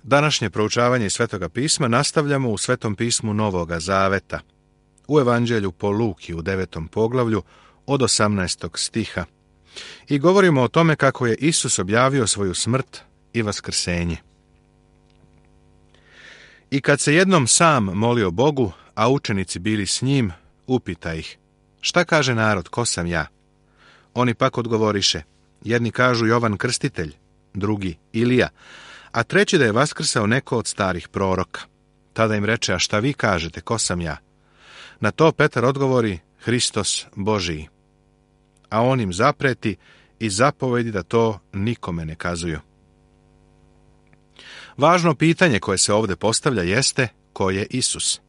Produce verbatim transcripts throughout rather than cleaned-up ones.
Današnje proučavanje Svetoga pisma nastavljamo u Svetom pismu Novoga Zaveta, u Evanđelju po Luki u devetom poglavlju od osamnaestog stiha. I govorimo o tome kako je Isus objavio svoju smrt i vaskrsenje. I kad se jednom sam molio Bogu, a učenici bili s njim, upita ih: šta kaže narod, ko sam ja? Oni pak odgovoriše: jedni kažu Jovan Krstitelj, drugi Ilija, a treći da je vaskrsao neko od starih proroka. Tada im reče: a šta vi kažete, ko sam ja? Na to Petar odgovori: Hristos Božiji. A on im zapreti i zapovedi da to nikome ne kazuju. Važno pitanje koje se ovdje postavlja jeste: ko je Isus?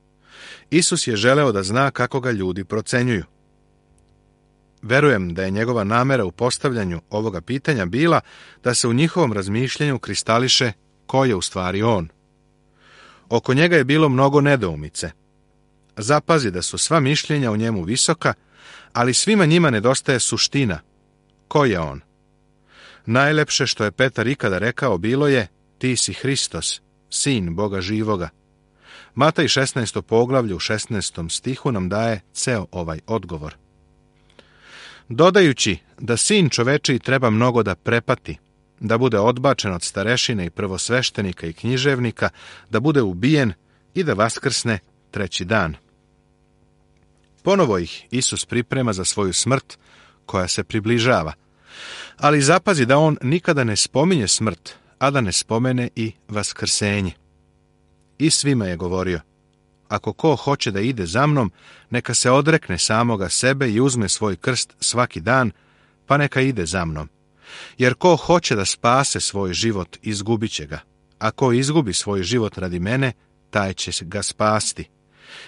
Isus je želeo da zna kako ga ljudi procenjuju. Verujem da je njegova namera u postavljanju ovoga pitanja bila da se u njihovom razmišljanju kristališe ko je u stvari on. Oko njega je bilo mnogo nedoumice. Zapazi da su sva mišljenja o njemu visoka, ali svima njima nedostaje suština. Ko je on? Najlepše što je Petar ikada rekao bilo je: ti si Hristos, sin Boga živoga. Matej šesnaesto poglavlje u šesnaestom stihu nam daje ceo ovaj odgovor. Dodajući da sin čovečiji treba mnogo da prepati, da bude odbačen od starešine i prvosveštenika i književnika, da bude ubijen i da vaskrsne treći dan. Ponovo ih Isus priprema za svoju smrt koja se približava. Ali zapazi da on nikada ne spominje smrt, a da ne spomene i vaskrsenje. I svima je govorio: ako ko hoće da ide za mnom, neka se odrekne samoga sebe i uzme svoj krst svaki dan, pa neka ide za mnom. Jer ko hoće da spase svoj život, izgubit će ga, a ko izgubi svoj život radi mene, taj će ga spasti.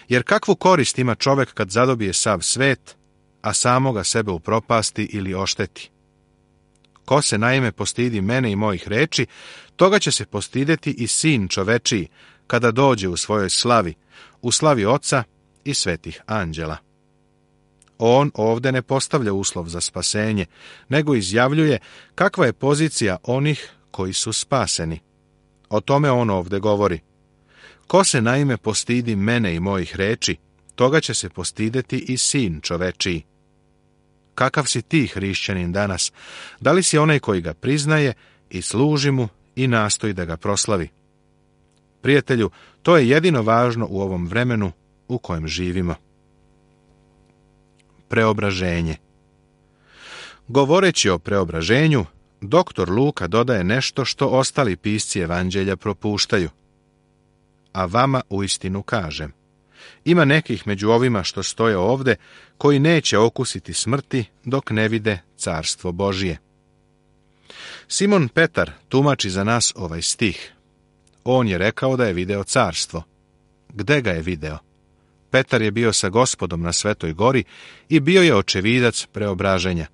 Jer kakvu korist ima čovek kad zadobije sav svet, a samoga sebe upropasti ili ošteti? Ko se naime postidi mene i mojih reči, toga će se postideti i sin čovečiji, kada dođe u svojoj slavi, u slavi Oca i svetih anđela. On ovdje ne postavlja uslov za spasenje, nego izjavljuje kakva je pozicija onih koji su spaseni. O tome on ovdje govori: ko se naime postidi mene i mojih reči, toga će se postideti i sin čovečiji. Kakav si ti, hrišćanin, danas? Da li si onaj koji ga priznaje i služi mu i nastoji da ga proslavi? Prijatelju, to je jedino važno u ovom vremenu u kojem živimo. Preobraženje. Govoreći o preobraženju, doktor Luka dodaje nešto što ostali pisci evanđelja propuštaju. A vama uistinu kažem: ima nekih među ovima što stoje ovde koji neće okusiti smrti dok ne vide carstvo Božije. Simon Petar tumači za nas ovaj stih. On je rekao da je video carstvo. Gde ga je video? Petar je bio sa Gospodom na Svetoj gori i bio je očevidac preobraženja.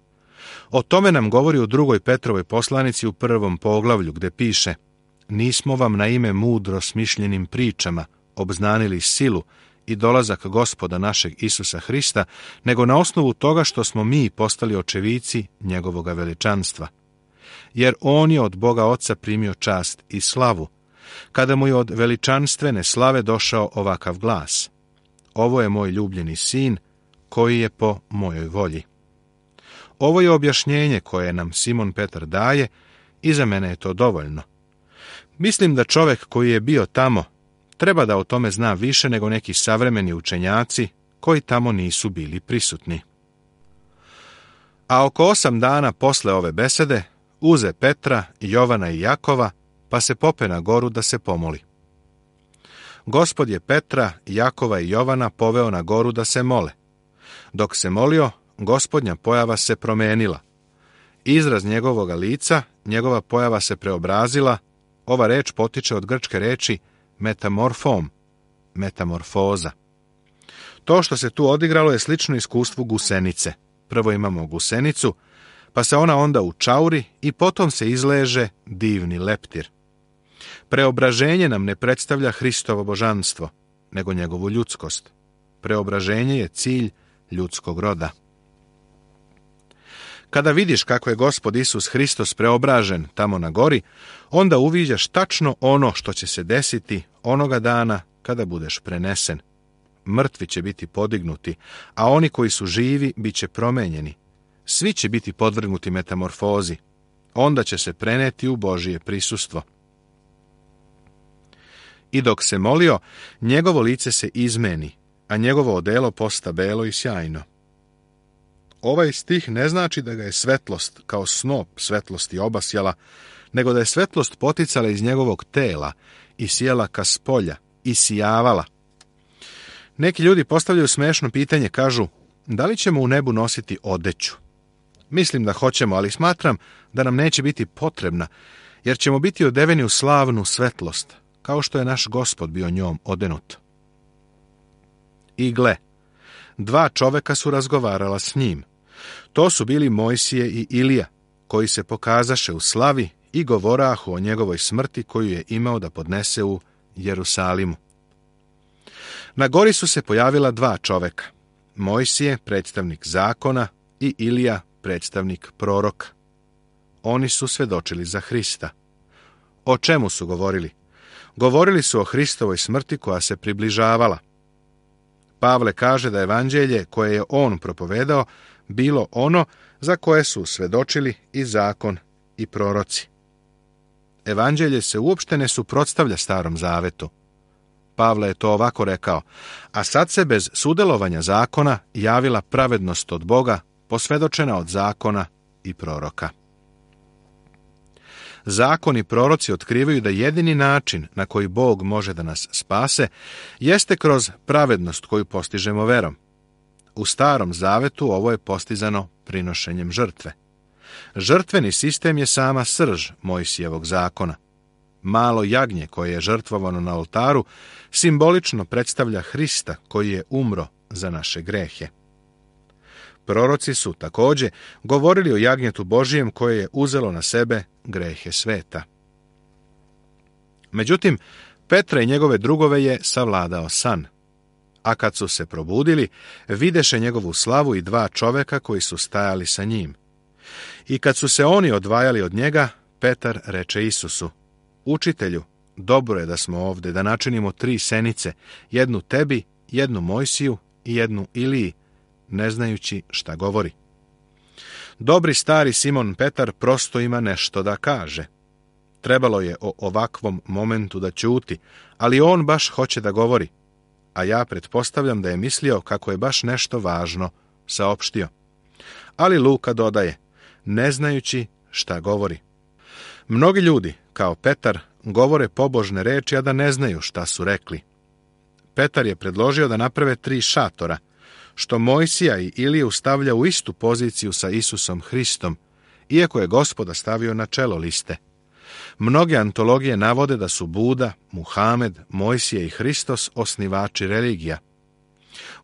O tome nam govori u drugoj Petrovoj poslanici u prvom poglavlju, gde piše: nismo vam na ime mudro smišljenim pričama obznanili silu i dolazak Gospoda našeg Isusa Hrista, nego na osnovu toga što smo mi postali očevici njegovoga veličanstva. Jer on je od Boga Oca primio čast i slavu, kada mu je od veličanstvene slave došao ovakav glas: ovo je moj ljubljeni sin, koji je po mojoj volji. Ovo je objašnjenje koje nam Simon Petar daje i za mene je to dovoljno. Mislim da čovjek koji je bio tamo treba da o tome zna više nego neki savremeni učenjaci koji tamo nisu bili prisutni. A oko osam dana posle ove besede uze Petra, Jovana i Jakova, pa se pope na goru da se pomoli. Gospod je Petra, Jakova i Jovana poveo na goru da se mole. Dok se molio, Gospodnja pojava se promenila. Izraz njegovoga lica, njegova pojava se preobrazila. Ova reč potiče od grčke reči metamorfom, metamorfoza. To što se tu odigralo je slično iskustvu gusenice. Prvo imamo gusenicu, pa se ona onda učauri i potom se izleže divni leptir. Preobraženje nam ne predstavlja Hristovo božanstvo, nego njegovu ljudskost. Preobraženje je cilj ljudskog roda. Kada vidiš kako je Gospod Isus Hristos preobražen tamo na gori, onda uviđaš tačno ono što će se desiti onoga dana kada budeš prenesen. Mrtvi će biti podignuti, a oni koji su živi bit će promenjeni. Svi će biti podvrgnuti metamorfozi. Onda će se preneti u Božije prisustvo. I dok se molio, njegovo lice se izmeni, a njegovo odelo posta belo i sjajno. Ovaj stih ne znači da ga je svetlost kao snop svetlosti obasjala, nego da je svetlost poticala iz njegovog tela i sjela ka spolja i sijavala. Neki ljudi postavljaju smešno pitanje, kažu, da li ćemo u nebu nositi odeću? Mislim da hoćemo, ali smatram da nam neće biti potrebna, jer ćemo biti odeveni u slavnu svetlost, kao što je naš Gospod bio njom odenut. I gle, dva čoveka su razgovarala s njim. To su bili Mojsije i Ilija, koji se pokazaše u slavi i govorahu o njegovoj smrti koju je imao da podnese u Jerusalimu. Na gori su se pojavila dva čoveka, Mojsije, predstavnik zakona, i Ilija, predstavnik proroka. Oni su svedočili za Hrista. O čemu su govorili? Govorili su o Hristovoj smrti koja se približavala. Pavle kaže da evanđelje koje je on propovedao bilo ono za koje su svedočili i zakon i proroci. Evanđelje se uopšte ne suprotstavlja Starom zavetu. Pavle je to ovako rekao, a sad se bez sudelovanja zakona javila pravednost od Boga, posvedočena od zakona i proroka. Zakon i proroci otkrivaju da jedini način na koji Bog može da nas spase jeste kroz pravednost koju postižemo verom. U Starom zavetu ovo je postizano prinošenjem žrtve. Žrtveni sistem je sama srž Mojsijevog zakona. Malo jagnje koje je žrtvovano na oltaru simbolično predstavlja Hrista koji je umro za naše grehe. Proroci su također govorili o jagnjetu Božijem koje je uzelo na sebe grehe sveta. Međutim, Petra i njegove drugove je savladao san. A kad su se probudili, videše njegovu slavu i dva čoveka koji su stajali sa njim. I kad su se oni odvajali od njega, Petar reče Isusu, Učitelju, dobro je da smo ovde, da načinimo tri senice, jednu tebi, jednu Mojsiju i jednu Iliji, ne znajući šta govori. Dobri stari Simon Petar prosto ima nešto da kaže. Trebalo je o ovakvom momentu da ćuti, ali on baš hoće da govori, a ja pretpostavljam da je mislio kako je baš nešto važno saopštio. Ali Luka dodaje, ne znajući šta govori. Mnogi ljudi, kao Petar, govore pobožne reči, a da ne znaju šta su rekli. Petar je predložio da naprave tri šatora, što Mojsija i Iliju stavlja u istu poziciju sa Isusom Hristom, iako je Gospoda stavio na čelo liste. Mnoge antologije navode da su Buda, Muhamed, Mojsije i Hristos osnivači religija.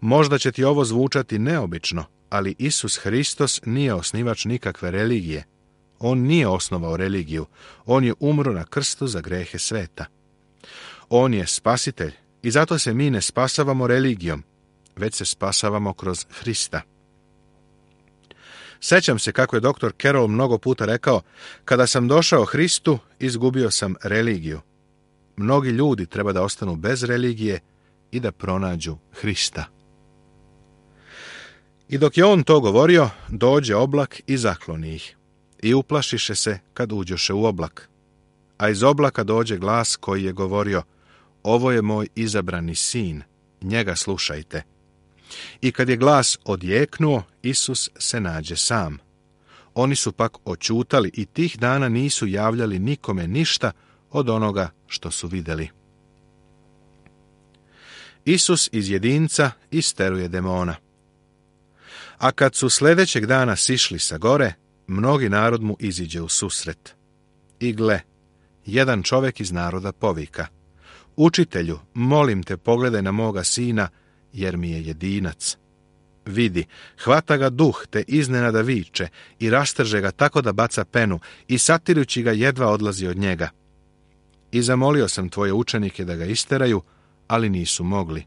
Možda će ti ovo zvučati neobično, ali Isus Hristos nije osnivač nikakve religije. On nije osnovao religiju, on je umro na krstu za grehe sveta. On je spasitelj i zato se mi ne spasavamo religijom, već se spasavamo kroz Hrista. Sećam se kako je doktor Carroll mnogo puta rekao, kada sam došao Hristu, izgubio sam religiju. Mnogi ljudi treba da ostanu bez religije i da pronađu Hrista. I dok je on to govorio, dođe oblak i zakloni ih. I uplašiše se kad uđoše u oblak. A iz oblaka dođe glas koji je govorio, ovo je moj izabrani sin, njega slušajte. I kad je glas odjeknuo, Isus se nađe sam. Oni su pak oćutali i tih dana nisu javljali nikome ništa od onoga što su vidjeli. Isus iz jedinca isteruje demona. A kad su sljedećeg dana sišli sa gore, mnogi narod mu iziđe u susret. I gle, jedan čovjek iz naroda povika, Učitelju, molim te, pogledaj na moga sina, jer mi je jedinac. Vidi, hvata ga duh, te iznenada viče i rastrže ga tako da baca penu i satirujući ga jedva odlazi od njega. I zamolio sam tvoje učenike da ga isteraju, ali nisu mogli.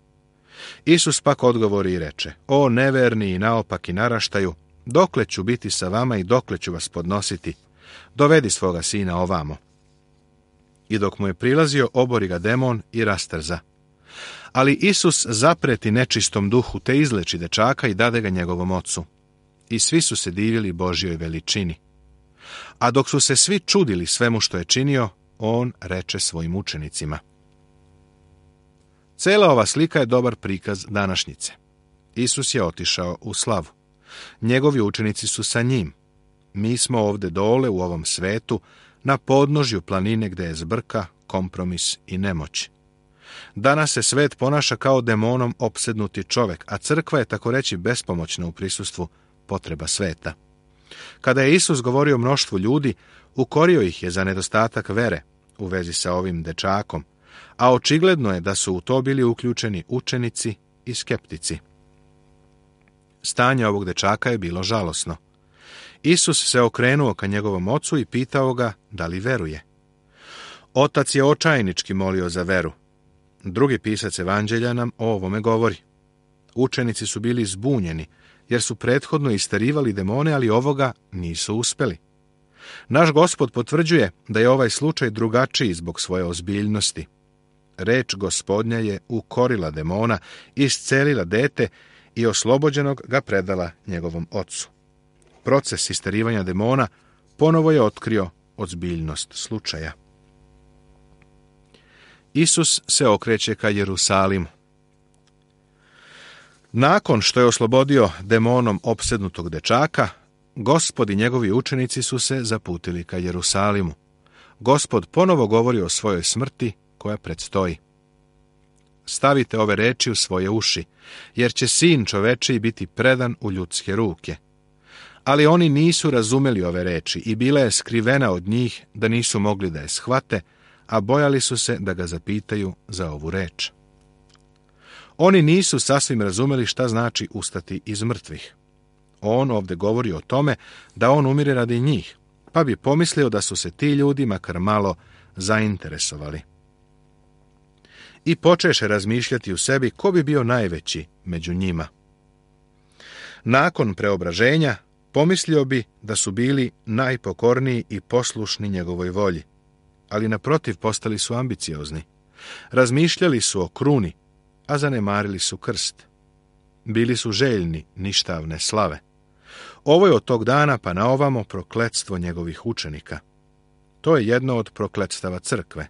Isus pak odgovori i reče, o neverni i naopaki naraštaju, dokle ću biti sa vama i dokle ću vas podnositi? Dovedi svoga sina ovamo. I dok mu je prilazio, obori ga demon i rastrza. Ali Isus zapreti nečistom duhu, te izleči dečaka i dade ga njegovom ocu. I svi su se divili Božjoj veličini. A dok su se svi čudili svemu što je činio, on reče svojim učenicima. Cela ova slika je dobar prikaz današnjice. Isus je otišao u slavu. Njegovi učenici su sa njim. Mi smo ovde dole u ovom svetu, na podnožju planine gde je zbrka, kompromis i nemoć. Danas se svet ponaša kao demonom opsednuti čovek, a crkva je tako reći bespomoćna u prisustvu potreba sveta. Kada je Isus govorio mnoštvu ljudi, ukorio ih je za nedostatak vere u vezi sa ovim dečakom, a očigledno je da su u to bili uključeni učenici i skeptici. Stanje ovog dečaka je bilo žalosno. Isus se okrenuo ka njegovom ocu i pitao ga da li veruje. Otac je očajnički molio za veru. Drugi pisac evanđelja nam o ovome govori. Učenici su bili zbunjeni, jer su prethodno isterivali demone, ali ovoga nisu uspeli. Naš Gospod potvrđuje da je ovaj slučaj drugačiji zbog svoje ozbiljnosti. Reč Gospodnja je ukorila demona, iscelila dete i oslobođenog ga predala njegovom ocu. Proces isterivanja demona ponovo je otkrio ozbiljnost slučaja. Isus se okreće ka Jerusalimu. Nakon što je oslobodio demonom opsednutog dečaka, Gospod i njegovi učenici su se zaputili ka Jerusalimu. Gospod ponovo govori o svojoj smrti koja predstoji. Stavite ove reči u svoje uši, jer će sin čovečiji biti predan u ljudske ruke. Ali oni nisu razumeli ove reči i bila je skrivena od njih da nisu mogli da je shvate, a bojali su se da ga zapitaju za ovu reč. Oni nisu sasvim razumeli šta znači ustati iz mrtvih. On ovdje govori o tome da on umire radi njih, pa bi pomislio da su se ti ljudi makar malo zainteresovali. I počeše razmišljati u sebi ko bi bio najveći među njima. Nakon preobraženja pomislio bi da su bili najpokorniji i poslušni njegovoj volji, ali naprotiv postali su ambiciozni. Razmišljali su o kruni, a zanemarili su krst. Bili su željni ništavne slave. Ovo je od tog dana pa na ovamo prokletstvo njegovih učenika. To je jedno od prokletstava crkve.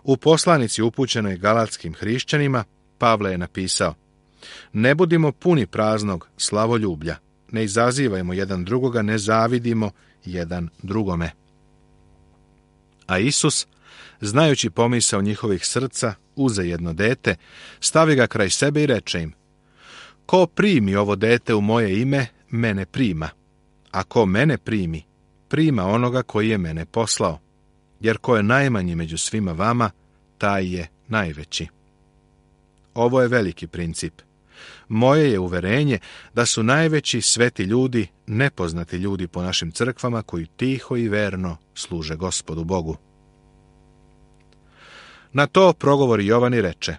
U poslanici upućenoj galatskim hrišćanima Pavle je napisao: ne budimo puni praznog slavoljublja, ne izazivajmo jedan drugoga, ne zavidimo jedan drugome. A Isus, znajući pomisao njihovih srca, uze jedno dete, stavi ga kraj sebe i reče im: ko primi ovo dete u moje ime, mene prima, a ko mene primi, prima onoga koji je mene poslao, jer ko je najmanji među svima vama, taj je najveći. Ovo je veliki princip. Moje je uverenje da su najveći sveti ljudi nepoznati ljudi po našim crkvama koji tiho i verno služe Gospodu Bogu. Na to progovori Jovan i reče: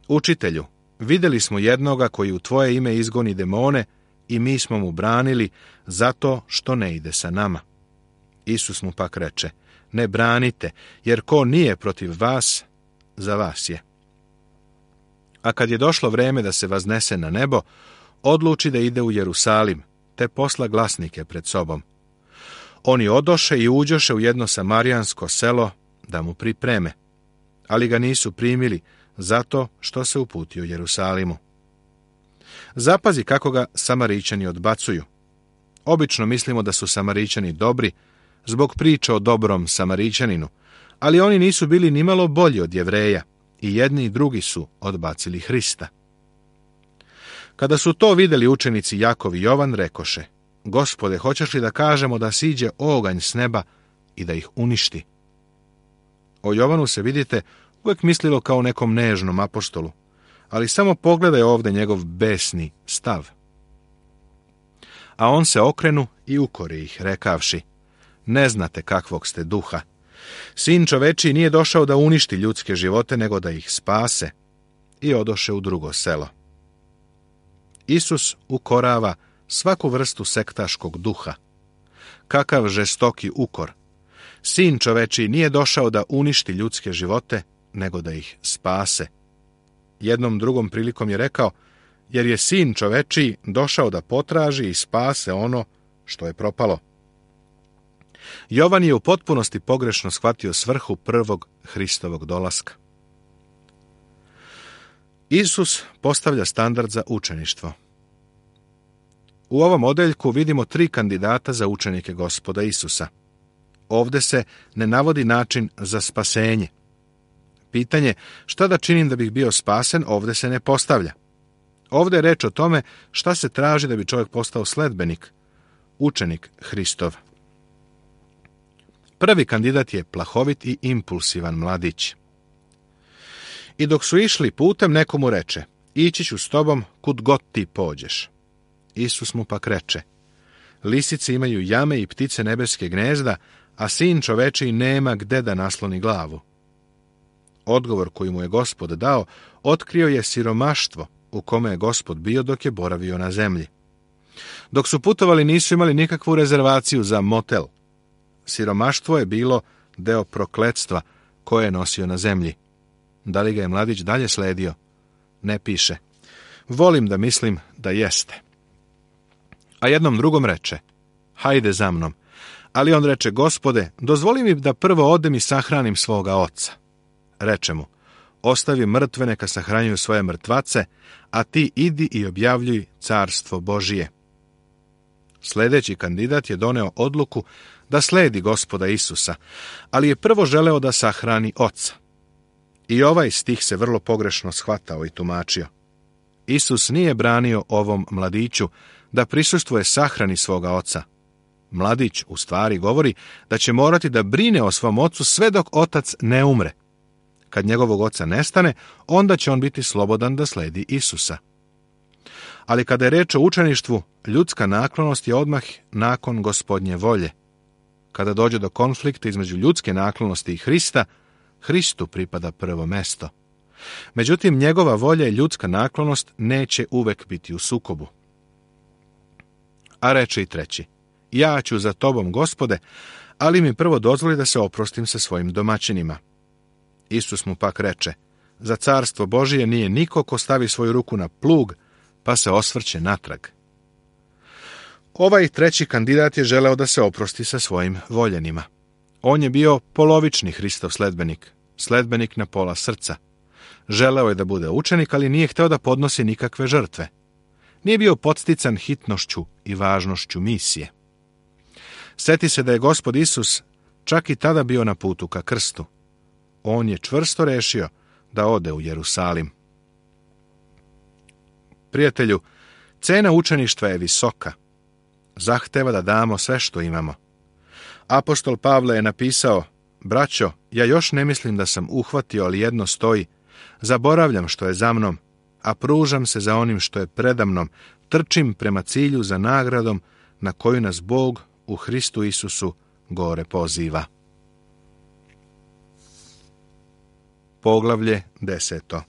učitelju, vidjeli smo jednoga koji u tvoje ime izgoni demone i mi smo mu branili zato što ne ide sa nama. Isus mu pak reče: ne branite, jer ko nije protiv vas, za vas je. A kad je došlo vreme da se vaznese na nebo, odluči da ide u Jerusalim, te posla glasnike pred sobom. Oni odoše i uđoše u jedno samarijansko selo da mu pripreme, ali ga nisu primili zato što se uputio Jerusalimu. Zapazi kako ga Samarićani odbacuju. Obično mislimo da su Samarićani dobri zbog priče o dobrom Samarićaninu, ali oni nisu bili nimalo bolji od Jevreja i jedni i drugi su odbacili Hrista. Kada su to vidjeli učenici Jakov i Jovan, rekoše: Gospode, hoćeš li da kažemo da siđe oganj s neba i da ih uništi? O Jovanu se, vidite, uvijek mislilo kao nekom nežnom apostolu, ali samo pogledaj ovdje njegov besni stav. A on se okrenu i ukori ih, rekavši: ne znate kakvog ste duha. Sin čovečiji nije došao da uništi ljudske živote, nego da ih spase. I odoše u drugo selo. Isus ukorava svaku vrstu sektaškog duha. Kakav žestoki ukor! Sin čovečiji nije došao da uništi ljudske živote, nego da ih spase. Jednom drugom prilikom je rekao, jer je sin čovečiji došao da potraži i spase ono što je propalo. Jovan je u potpunosti pogrešno shvatio svrhu prvog Hristovog dolaska. Isus postavlja standard za učeništvo. U ovom odeljku vidimo tri kandidata za učenike Gospoda Isusa. Ovde se ne navodi način za spasenje. Pitanje šta da činim da bih bio spasen ovde se ne postavlja. Ovde je reč o tome šta se traži da bi čovjek postao sledbenik, učenik Hristov. Prvi kandidat je plahovit i impulsivan mladić. I dok su išli putem, neko mu reče, ići ću s tobom kud god ti pođeš. Isus mu pak reče, lisice imaju jame i ptice nebeske gnezda, a sin čovečiji nema gde da nasloni glavu. Odgovor koji mu je Gospod dao otkrio je siromaštvo u kome je Gospod bio dok je boravio na zemlji. Dok su putovali nisu imali nikakvu rezervaciju za motel. Siromaštvo je bilo deo prokletstva koje je nosio na zemlji. Da li ga je mladić dalje sledio? Ne piše. Volim da mislim da jeste. A jednom drugom reče, hajde za mnom. Ali on reče, Gospode, dozvoli mi da prvo odem i sahranim svoga oca. Reče mu, ostavi mrtve neka sahranjuju svoje mrtvace, a ti idi i objavljuj carstvo Božije. Sljedeći kandidat je doneo odluku da sledi Gospoda Isusa, ali je prvo želeo da sahrani oca. I ovaj stih se vrlo pogrešno shvatao i tumačio. Isus nije branio ovom mladiću da prisustvuje sahrani svoga oca. Mladić u stvari govori da će morati da brine o svom ocu sve dok otac ne umre. Kad njegovog oca nestane, onda će on biti slobodan da sledi Isusa. Ali kada je reč o učeništvu, ljudska naklonost je odmah nakon Gospodnje volje. Kada dođe do konflikta između ljudske naklonosti i Hrista, Hristu pripada prvo mesto. Međutim, njegova volja i ljudska naklonost neće uvek biti u sukobu. A reče i treći, ja ću za tobom, Gospode, ali mi prvo dozvoli da se oprostim sa svojim domaćinima. Isus mu pak reče, za carstvo Božije nije niko ko stavi svoju ruku na plug, pa se osvrće natrag. Ovaj treći kandidat je želeo da se oprosti sa svojim voljenima. On je bio polovični Hristov sledbenik, sledbenik na pola srca. Želeo je da bude učenik, ali nije hteo da podnosi nikakve žrtve. Nije bio podstican hitnošću i važnošću misije. Seti se da je Gospod Isus čak i tada bio na putu ka krstu. On je čvrsto rešio da ode u Jerusalim. Prijatelju, cena učeništva je visoka. Zahteva da damo sve što imamo. Apostol Pavle je napisao, braćo, ja još ne mislim da sam uhvatio, ali jedno stoji, zaboravljam što je za mnom, a pružam se za onim što je predamnom, trčim prema cilju za nagradom na koju nas Bog u Hristu Isusu gore poziva. Poglavlje deseto.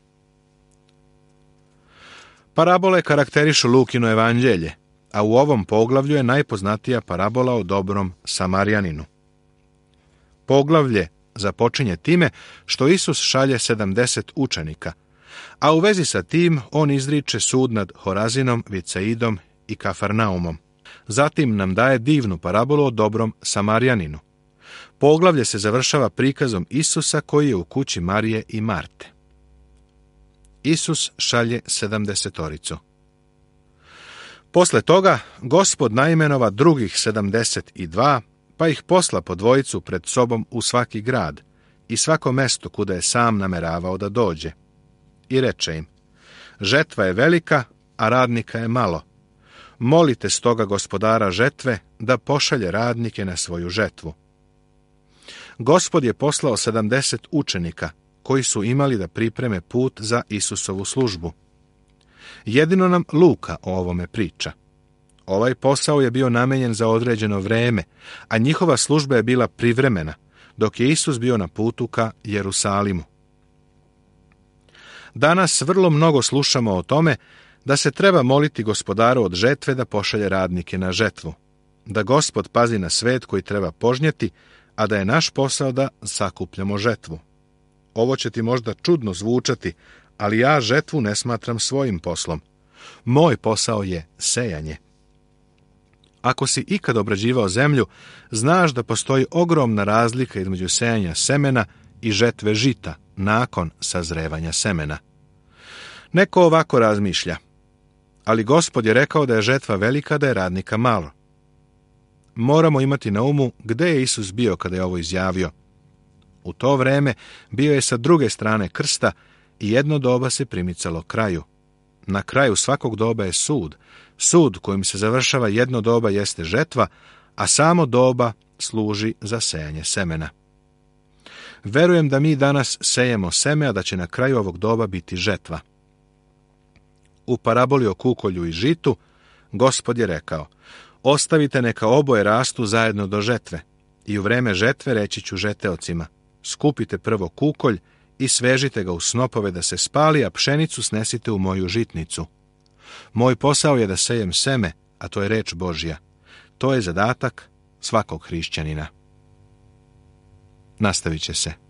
Parabole karakterišu Lukino evanđelje, a u ovom poglavlju je najpoznatija parabola o dobrom Samarjaninu. Poglavlje započinje time što Isus šalje sedamdeset učenika, a u vezi sa tim on izriče sud nad Horazinom, Vicaidom i Kafarnaumom. Zatim nam daje divnu parabolu o dobrom Samarjaninu. Poglavlje se završava prikazom Isusa koji je u kući Marije i Marte. Isus šalje sedamdesetoricu. Posle toga Gospod naimenova drugih sedamdeset i dva, pa ih posla po dvojicu pred sobom u svaki grad i svako mesto kuda je sam nameravao da dođe. I reče im, žetva je velika, a radnika je malo. Molite stoga gospodara žetve da pošalje radnike na svoju žetvu. Gospod je poslao sedamdeset učenika, koji su imali da pripreme put za Isusovu službu. Jedino nam Luka o ovome priča. Ovaj posao je bio namenjen za određeno vreme, a njihova služba je bila privremena, dok je Isus bio na putu ka Jerusalimu. Danas vrlo mnogo slušamo o tome da se treba moliti Gospodaru od žetve da pošalje radnike na žetvu, da Gospod pazi na svet koji treba požnjeti, a da je naš posao da sakupljamo žetvu. Ovo će ti možda čudno zvučati, ali ja žetvu ne smatram svojim poslom. Moj posao je sejanje. Ako si ikad obrađivao zemlju, znaš da postoji ogromna razlika između sejanja semena i žetve žita nakon sazrevanja semena. Neko ovako razmišlja, ali Gospod je rekao da je žetva velika, da je radnika malo. Moramo imati na umu gde je Isus bio kada je ovo izjavio. U to vreme bio je sa druge strane krsta i jedno doba se primicalo kraju. Na kraju svakog doba je sud. Sud kojim se završava jedno doba jeste žetva, a samo doba služi za sejanje semena. Verujem da mi danas sejemo seme, a da će na kraju ovog doba biti žetva. U paraboli o kukolju i žitu, Gospod je rekao, ostavite neka oboje rastu zajedno do žetve, i u vreme žetve reći ću žeteocima, skupite prvo kukolj i svežite ga u snopove da se spali, a pšenicu snesite u moju žitnicu. Moj posao je da sejem seme, a to je reč Božja. To je zadatak svakog hrišćanina. Nastavit će se.